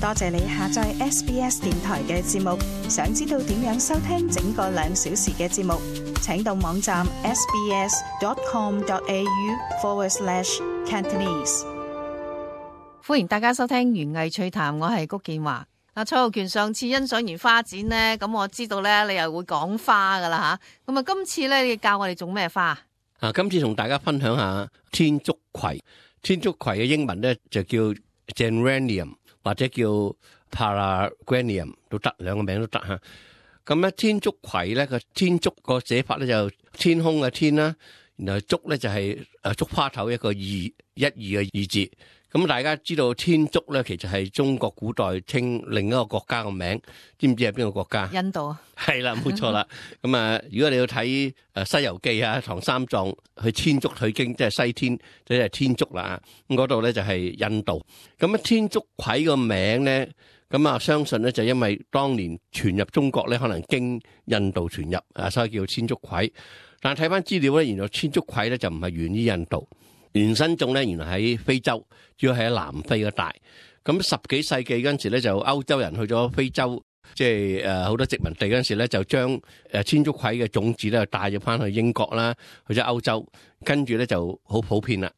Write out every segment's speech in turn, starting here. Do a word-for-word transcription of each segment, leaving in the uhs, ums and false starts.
多謝你下載 S B S 電台嘅節目。想知道點樣收聽整個兩小時嘅節目，請到網站 sbs.com.au forward slash Cantonese。歡迎大家收聽園藝趣談，我係谷建華。嗱，蔡浩權上次欣賞完花展呢，咁我知道咧你又會講花噶啦吓，咁啊今次咧你教我哋種咩花？啊，今次同大家分享下天竺葵。天竺葵嘅英文咧就叫 Geranium 或者叫 Paragranium 都得，兩個名都得吓。咁咧天竺葵咧個天竺個寫法咧就天空嘅天啦，然後竹咧就係誒竹花頭一個二一二嘅二字。咁大家知道天竺咧其實係中國古代稱另一個國家嘅名，知唔知係邊個國家？印度啊，係啦，冇錯啦。咁啊，如果你要睇誒《西遊記》啊，唐三藏去天竺取經，即係西天，即係天竺啦。咁嗰度咧就係印度。咁啊，天竺葵個名咧，咁啊相信咧就因為當年傳入中國咧，可能經印度傳入啊，所以叫天竺葵。但係睇翻資料咧，原來天竺葵咧就唔係源於印度。原生種咧，原來喺非洲，主要係喺南非嗰帶。咁十幾世紀嗰陣時咧，就歐洲人去咗非洲，即係誒好多殖民地嗰陣時咧，就將誒天竺葵嘅種子咧帶咗翻去英國啦，去咗歐洲，跟住咧就好普遍啦。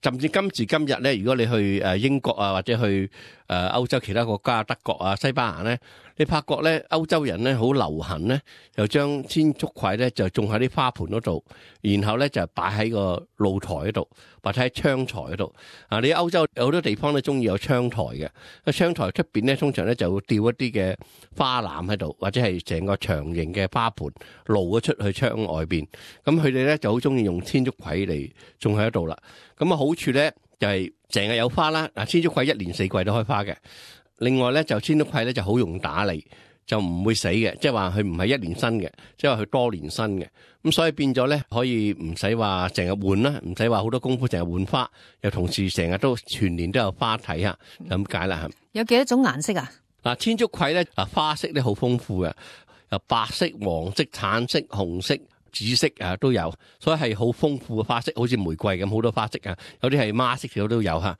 甚至今時今日咧，如果你去誒英國啊，或者去誒歐洲其他國家，德國啊、西班牙咧，你發覺咧歐洲人咧好流行咧，就將天竺葵咧就種喺啲花盆嗰度，然後咧就擺喺個露台嗰度，或者喺窗台嗰度。啊，你歐洲有好多地方都中意有窗台嘅，個窗台出邊咧通常咧就會吊一啲嘅花籃喺度，或者係成個長形嘅花盆露咗出去窗外邊。咁佢哋咧就好中意用天竺葵嚟種喺度啦。咁啊好處咧就係成日有花啦。嗱，天竺葵一年四季都開花嘅。另外咧就天竺葵咧就好容易打理，就唔會死嘅，即係話佢唔係一年生嘅，即係話佢多年生嘅。咁所以變咗咧可以唔使話成日換啦，唔使話好多功夫成日換花，又同時成日都全年都有花睇下，就咁解啦。有幾多種顏色啊？嗱，天竺葵咧啊花色咧好豐富嘅，有白色、黃色、橙色、紅色、紫色啊都有，所以係好豐富嘅花色，好似玫瑰咁好多花色啊，有啲係孖色嘅都有吓。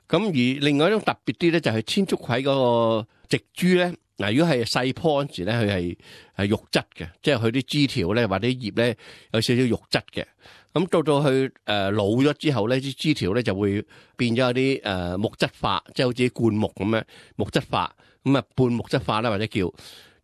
咁而另外一種特別啲咧就係天竺葵嗰個植株咧，嗱如果係細棵嗰時咧，佢係係肉質嘅，即係佢啲枝條咧或者葉咧有少少肉質嘅。咁到到佢誒老咗之後咧，啲枝條咧就會變咗有啲誒木質化，即係好似灌木咁樣木質化，咁啊半木質化啦或者叫。咁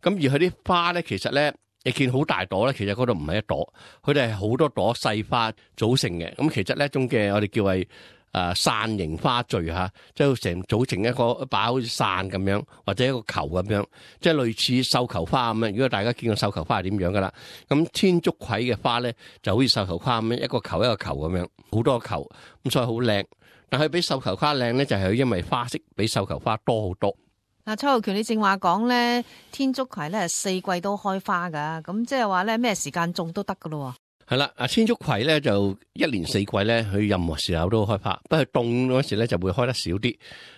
而佢啲花咧，其實咧你見好大朵咧，其實嗰度唔係一朵，佢哋係好多朵細花組成嘅。咁其實呢一種嘅我哋叫係誒傘形花序吓，即係成組成一個一把好似傘咁樣，或者一個球咁樣，即係類似繡球花咁樣。如果大家見過繡球花係點樣噶啦，咁天竺葵嘅花咧就好似繡球花咁樣，一個球一個球咁樣，好多球，咁所以好靚。但係比繡球花靚咧，就係因為花色比繡球花多好多。嗱，蔡浩權，你正話講咧，天竺葵咧係四季都開花噶，咁即係話咧咩時間種都得噶咯。係啦，啊天竺葵咧就一年四季咧，佢任何時候都開花，不過凍嗰時咧就會開得少啲。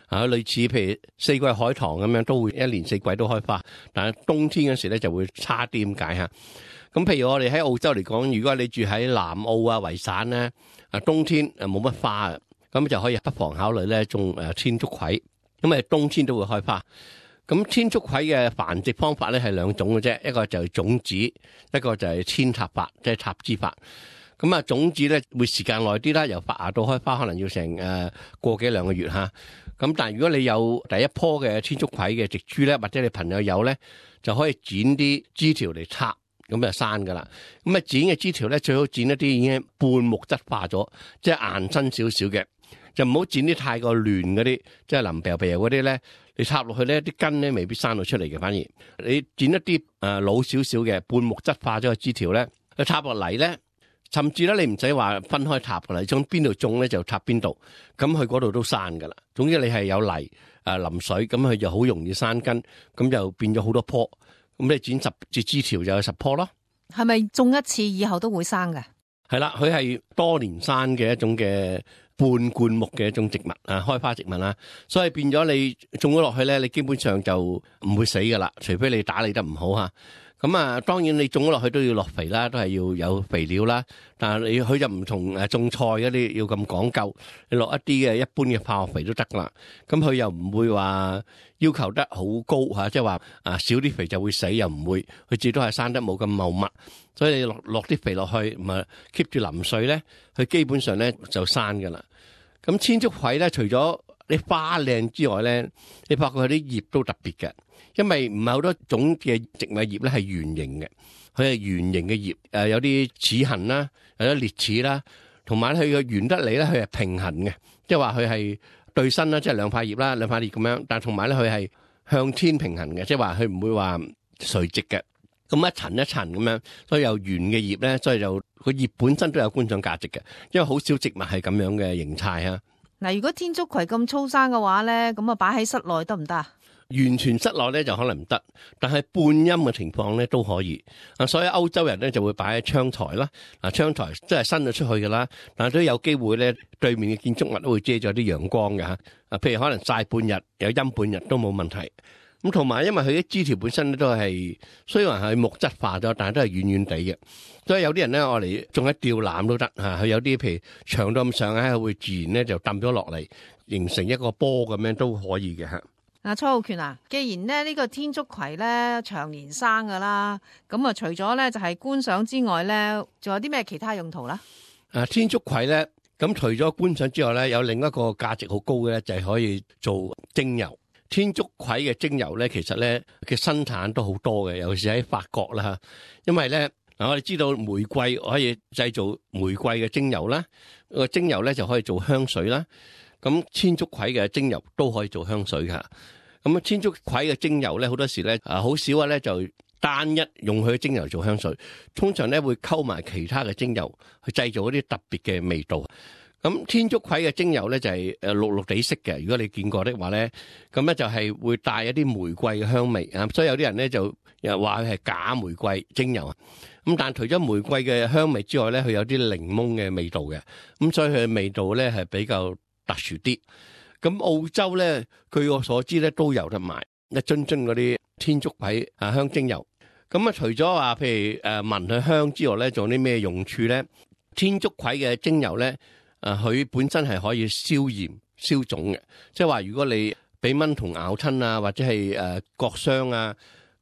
啊，類似譬如四季海棠咁樣，都會一年四季都開花，但係冬天嗰時咧就會差啲咁解吓。咁譬如我哋喺澳洲嚟講，如果你住喺南澳啊、維省咧，啊冬天誒冇乜花啊，咁就可以不妨考慮咧種誒天竺葵。咁啊，冬天都會開花。咁天竺葵嘅繁殖方法咧係兩種嘅啫，一個就係種子，一個就係扦插法，即係插枝法。咁啊，種子咧會時間耐啲啦，由發芽到開花可能要成誒個幾兩個月吓。咁但係如果你有第一棵嘅天竺葵嘅植株咧，或者你朋友有咧，就可以剪啲枝條嚟插，咁就生噶啦。咁啊，剪嘅枝條咧最好剪一啲已經半木質化咗，即係硬身少少嘅。就唔好剪啲太過亂嗰啲，即係腍皮皮嗰啲咧，你插落去咧，啲根咧未必生到出嚟嘅。反而你剪一啲誒老少少嘅半木質化咗嘅枝條咧，佢插落嚟咧，甚至咧你唔使話分開插噶啦，你從邊度種咧就插邊度，咁佢嗰度都生噶啦。總之你係有泥誒淋水，咁佢就好容易生根，咁就變咗好多棵。咁你剪十隻枝條就有十棵咯。係咪種一次以後都會生嘅？係啦，佢係多年生嘅一種嘅半灌木嘅一種植物啊，開花植物啦，所以變咗你種咗落去咧，你基本上就唔會死噶啦，除非你打理得唔好吓。咁啊，當然你種咗落去都要落肥啦，都係要有肥料啦。但係你佢就唔同誒種菜嗰啲要咁講究，你落一啲嘅一般嘅化學肥都得啦。咁佢又唔會話要求得好高嚇，即係話啊少啲肥就會死，又唔會，佢至多係生得冇咁茂密。所以你落落啲肥落去，咁啊 keep 住淋水咧，佢基本上咧就生㗎啦。咁千足葵咧，除咗啲花靚之外咧，你發覺佢啲葉都特別嘅。因為唔係好多種嘅植物葉咧係圓形嘅，佢係圓形嘅葉，誒有啲齒痕啦，有啲裂齒啦，同埋佢嘅圓得嚟咧，佢係平衡嘅，即係話佢係對身啦，即係兩塊葉啦，兩塊葉咁樣，但係同埋咧佢係向天平衡嘅，即係話佢唔會話垂直嘅，咁一層一層咁樣，所以有圓嘅葉咧，所以就個葉本身都有觀賞價值嘅，因為好少植物係咁樣嘅形態啊。嗱，如果天竺葵咁粗生嘅話咧，咁啊擺喺室內得唔得啊？完全室內咧就可能唔得，但係半陰嘅情況咧都可以。啊，所以歐洲人咧就會擺喺窗台啦。嗱，窗台即係伸咗出去噶啦，但係都有機會咧對面嘅建築物都會遮咗啲陽光嘅嚇。啊，譬如可能曬半日，有陰半日都冇問題。咁同埋因為佢啲枝條本身咧都係雖然係木質化咗，但係都係軟軟地嘅。所以有啲人咧我嚟種喺吊籃都得嚇。佢有啲譬如長到咁上下，會自然咧就揼咗落嚟，形成一個波咁樣都可以嘅嚇。嗱，蔡浩權啊，既然咧呢個天竺葵咧長年生噶啦，咁啊除咗咧就係觀賞之外咧，仲有啲咩其他用途啦？啊，天竺葵咧，咁除咗觀賞之外咧，有另一個價值好高嘅咧，就係可以做精油。天竺葵嘅精油咧，其實咧嘅生產都好多嘅，尤其是喺法國啦嚇。因為咧嗱，我哋知道玫瑰可以製造玫瑰嘅精油啦，個精油咧就可以做香水啦。咁天竺葵嘅精油都可以做香水噶。咁啊，天竺葵嘅精油咧，好多時咧啊，好少啊咧就單一用佢嘅精油做香水，通常咧會溝埋其他嘅精油去製造一啲特別嘅味道。咁天竺葵嘅精油咧就係誒綠綠地色嘅，如果你見過的話咧，咁咧就係會帶一啲玫瑰嘅香味啊。所以有啲人咧就又話佢係假玫瑰精油啊。咁但係除咗玫瑰嘅香味之外咧，佢有啲檸檬嘅味道嘅。咁所以佢嘅味道咧係比較特殊啲。咁澳洲咧，據我所知咧都有得賣一樽樽嗰啲天竺葵啊香精油。咁啊，除咗話譬如誒聞佢香之外咧，仲有啲咩用處咧？天竺葵嘅精油咧，誒佢本身係可以消炎消腫嘅，即係話如果你俾蚊蟲咬親啊，或者係誒割傷啊，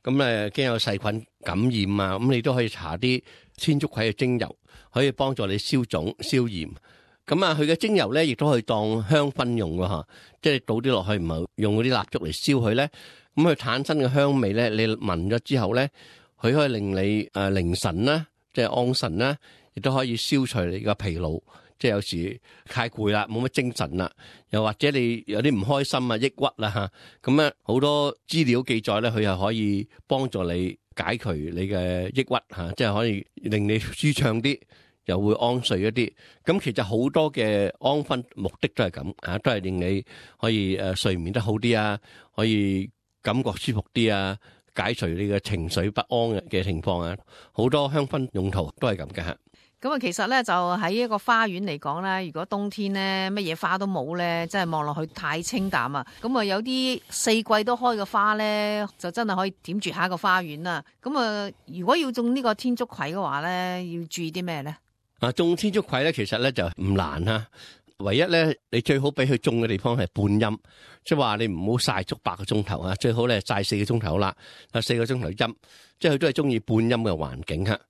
咁誒驚有細菌感染啊，咁你都可以搽啲天竺葵嘅精油，可以幫助你消腫消炎。咁啊，佢嘅精油咧，亦都可以當香薰用㗎吓，即係倒啲落去，唔係用嗰啲蠟燭嚟燒佢咧。咁佢產生嘅香味咧，你聞咗之後咧，佢可以令你誒凌神啦，即係安神啦，亦都可以消除你個疲勞，即係有時太攰啦，冇乜精神啦，又或者你有啲唔開心啊、抑鬱啦吓，咁咧好多資料記載咧，佢又可以幫助你解除你嘅抑鬱吓，即係可以令你舒暢啲。又會安睡一啲，咁其實好多嘅安分目的都係咁啊，都係令你可以誒睡眠得好啲啊，可以感覺舒服啲啊，解除你嘅情緒不安嘅情況啊，好多香薰用途都係咁嘅嚇。咁啊，其實咧就喺一個花園嚟講咧，如果冬天咧乜嘢花都冇咧，真係望落去太清淡啊。咁啊，有啲四季都開嘅花咧，就真係可以點綴下個花園啦。咁啊，如果要種呢個天竺葵嘅話咧，要注意啲咩咧？啊，種天竺葵咧，其實咧就唔難啊。唯一咧，你最好俾佢種嘅地方係半陰，即係話你唔好曬足八個鐘頭啊，最好咧曬四個鐘頭啦，啊四個鐘頭陰，即係佢都係中意半陰嘅環境嚇。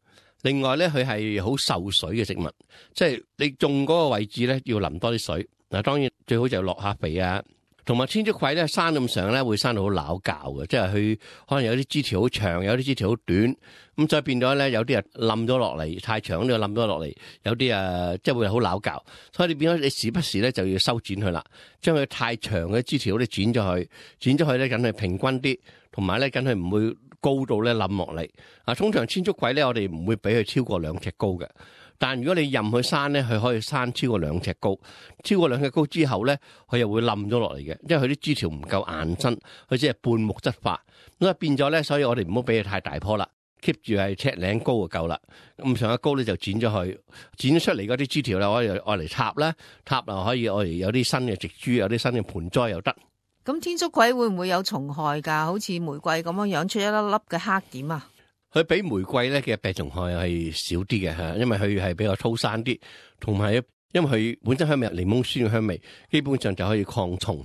另外咧，佢係好受水嘅植物，即係你種嗰個位置咧要淋多啲水。嗱，當然最好就落下肥啊。同埋天竺葵咧生咁上咧會生到好拗教嘅，即係佢可能有啲枝條好長，有啲枝條好短，咁再變咗咧有啲啊冧咗落嚟，太長都冧咗落嚟，有啲啊即係會好拗教，所以你變咗你時不時咧就要修剪佢啦，將佢太長嘅枝條咧剪咗去，剪咗去咧梗係平均啲，同埋咧梗係唔會高到咧冧落嚟。啊，通常天竺葵咧我哋唔會俾佢超過兩尺高嘅。但如果你任佢生咧，佢可以生超過兩尺高，超過兩尺高之後咧，佢又會冧咗落嚟嘅，因為佢啲枝條唔夠硬身，佢只係半木質化，咁啊變咗咧，所以我哋唔好俾佢太大棵啦 ，keep 住係尺零高就夠啦。咁上下高咧就剪咗佢，剪咗出嚟嗰啲枝條咧，可以愛嚟插啦，插啊可以愛嚟有啲新嘅植株，有啲新嘅盆栽又得。咁天竺葵會唔會有蟲害㗎？好似玫瑰咁樣養出一粒粒嘅黑點啊？佢比玫瑰咧嘅病蟲害係少啲嘅嚇，因為佢係比較粗生啲，同埋因為佢本身香味有檸檬酸嘅香味，基本上就可以抗蟲。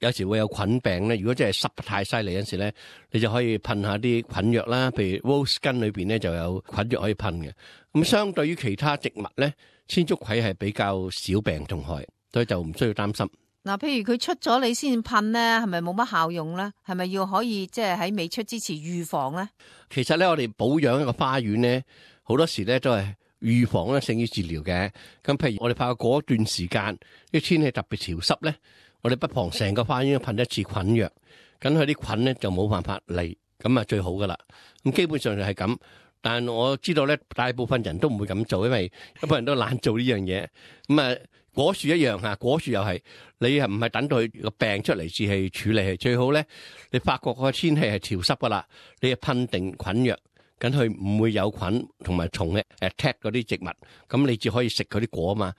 有時會有菌病咧，如果真係濕得太犀利嗰陣時咧，你就可以噴下啲菌藥啦，譬如 rose 根裏邊咧就有菌藥可以噴嘅。咁相對於其他植物咧，千足葵係比較少病蟲害，所以就唔需要擔心。嗱，譬如佢出咗你先噴咧，係咪冇乜效用咧？係咪要可以即係喺未出之前預防咧？其實咧，我哋保養一個花園咧，好多時咧都係預防咧勝於治療嘅。咁譬如我哋怕過一段時間啲天氣特別潮濕咧，我哋不妨成個花園噴一次菌藥，咁佢啲菌咧就冇辦法嚟，咁啊最好噶啦。咁基本上就係咁，但我知道咧，大部分人都唔會咁做，因為一般人都懶做呢樣嘢。咁啊。果樹一樣嚇，果樹又係你係唔係等到佢個病出嚟至去處理？係最好咧，你發覺個天氣係潮濕噶啦，你就噴定菌藥，咁佢唔會有菌同埋蟲嘅 attack 嗰啲植物，咁你至可以食佢啲果啊嘛。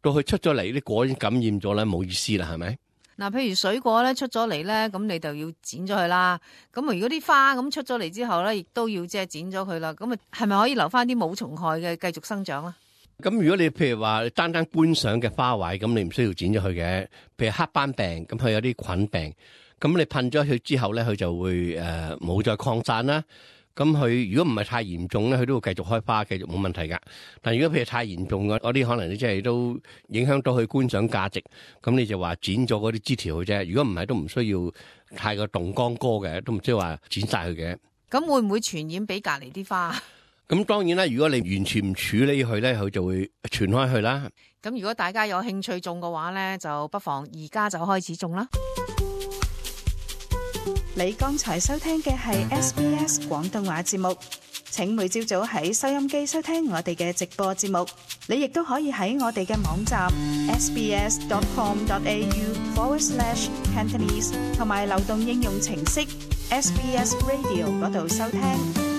到佢出咗嚟啲果已經感染咗啦，冇意思啦，係咪？嗱，譬如水果咧出咗嚟咧，咁你就要剪咗佢啦。咁如果啲花咁出咗嚟之後咧，亦都要即係剪咗佢啦。咁啊，係咪可以留翻啲冇蟲害嘅繼續生長啦？咁如果你譬如話單單觀賞嘅花卉，咁你唔需要剪咗佢嘅。譬如黑斑病，咁佢有啲菌病，咁你噴咗佢之後咧，佢就會誒冇、呃、再擴散啦。咁佢如果唔係太嚴重咧，佢都會繼續開花，繼續冇問題噶。但如果譬如太嚴重嘅嗰啲，可能你即係都影響到佢觀賞價值，咁你就話剪咗嗰啲枝條嘅啫。如果唔係，都唔需要太過動光哥嘅，都唔需要話剪晒佢嘅。咁會唔會傳染俾隔籬啲花？咁當然啦，如果你完全唔處理佢咧，佢就會傳開去啦。咁如果大家有興趣種嘅話咧，就不妨而家就開始種啦。你剛才收聽嘅係 S B S 廣東話節目，請每朝早喺收音機收聽我哋嘅直播節目。你亦都可以喺我哋嘅網站 sbs.com.au forward slash Cantonese 同埋流動應用程式 S B S Radio 嗰度收聽。